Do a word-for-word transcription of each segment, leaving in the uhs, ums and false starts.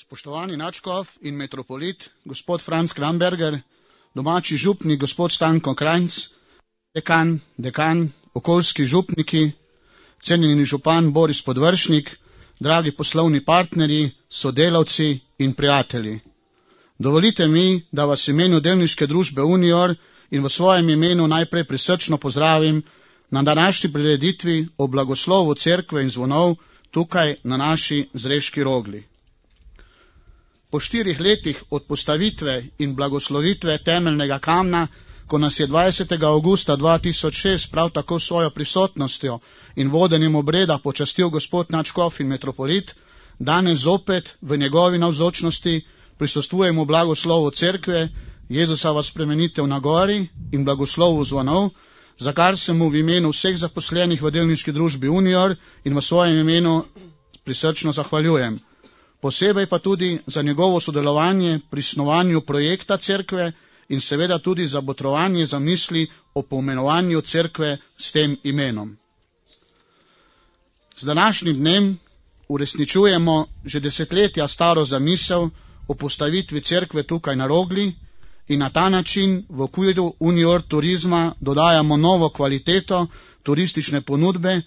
Spoštovani nadškof in metropolit, gospod Franc Kramberger, domači župnik, gospod Stanko Krajnc, dekan, dekan, okoljski župniki, cenjeni župan Boris Podvršnik, dragi poslovni partnerji, sodelavci in prijatelji. Dovolite mi, da vas v imenu delniške družbe Unior in v svojem imenu najprej prisrčno pozdravim na današnji prireditvi o blagoslovu cerkve in zvonov tukaj na naši Zreški Rogli. Po štirih letih od postavitve in blagoslovitve temeljnega kamna, ko nas je dvajsetega avgusta dva tisoč šest prav tako svojo prisotnostjo in vodenjem obreda počastil gospod nadškof in metropolit, danes zopet v njegovi navzočnosti prisostvujemo blagoslovu cerkve, Jezusova spremenitev na gori in blagoslovu zvonov, za kar se mu v imenu vseh zaposlenih v delniški družbi Unior in v svojem imenu prisrčno zahvaljujem. Posebej pa tudi za njegovo sodelovanje pri snovanju projekta cerkve in seveda tudi za botrovanje zamisli o poimenovanju cerkve s tem imenom. Z današnjim dnem uresničujemo že desetletja staro zamisel o postavitvi cerkve tukaj na Rogli in na ta način v okviru Unior turizma dodajamo novo kvaliteto turistične ponudbe,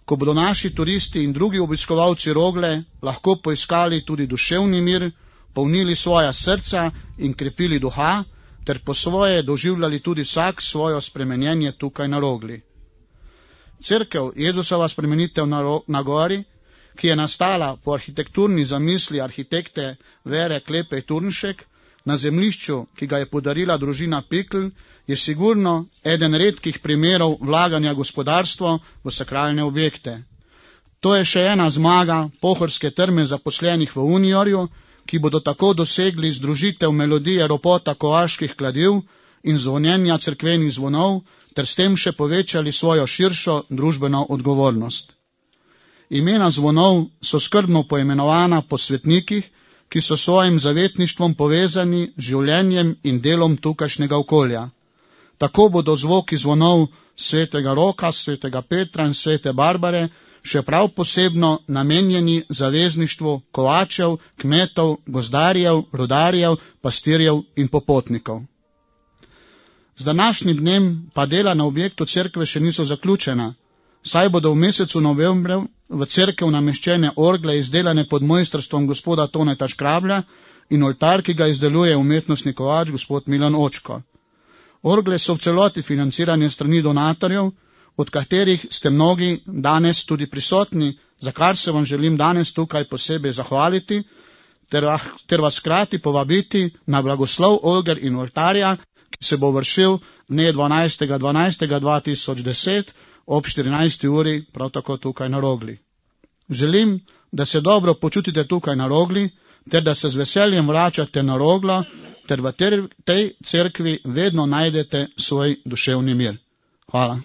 ko bodo naši turisti in drugi obiskovalci Rogle lahko poiskali tudi duševni mir, polnili svoja srca in krepili duha, ter po svoje doživljali tudi vsak svojo spremenjenje tukaj na Rogli. Cerkev Jezusova spremenitev na, ro, na gori, ki je nastala po arhitekturni zamisli arhitekte Vere Klepej Turnšek, na zemljišču, ki ga je podarila družina Pikl, je sigurno eden redkih primerov vlaganja gospodarstva v sakralne objekte. To je še ena zmaga pohorske trme zaposlenih v Uniorju, ki bodo tako dosegli združitev melodije ropota kovaških kladiv in zvonjenja cerkvenih zvonov, ter s tem še povečali svojo širšo družbeno odgovornost. Imena zvonov so skrbno poimenovana po svetnikih, ki so svojim zavetništvom povezani z življenjem in delom tukajšnjega okolja. Tako bodo zvoki zvonov svetega Roka, svetega Petra in svete Barbare še prav posebno namenjeni zavezništvu kovačev, kmetov, gozdarjev, rudarjev, pastirjev in popotnikov. Z današnjim dnem pa dela na objektu cerkve še niso zaključena, saj bodo v mesecu novembru v cerkev nameščene orgle izdelane pod mojstrstvom gospoda Toneta Škrablja in oltar, ki ga izdeluje umetnostni kovač gospod Milan Očko. Orgle so v celoti financirane strani donatorjev, od katerih ste mnogi danes tudi prisotni, za kar se vam želim danes tukaj posebej zahvaliti, ter, ter vas hkrati povabiti na blagoslov orgel in oltarja, ki se bo vršil dne dvanajstega dvanajstega dva tisoč deset ob štirinajsti uri, prav tako tukaj na Rogli. Želim, da se dobro počutite tukaj na Rogli, ter da se z veseljem vračate na Roglo, ter v tej cerkvi vedno najdete svoj duševni mir. Hvala.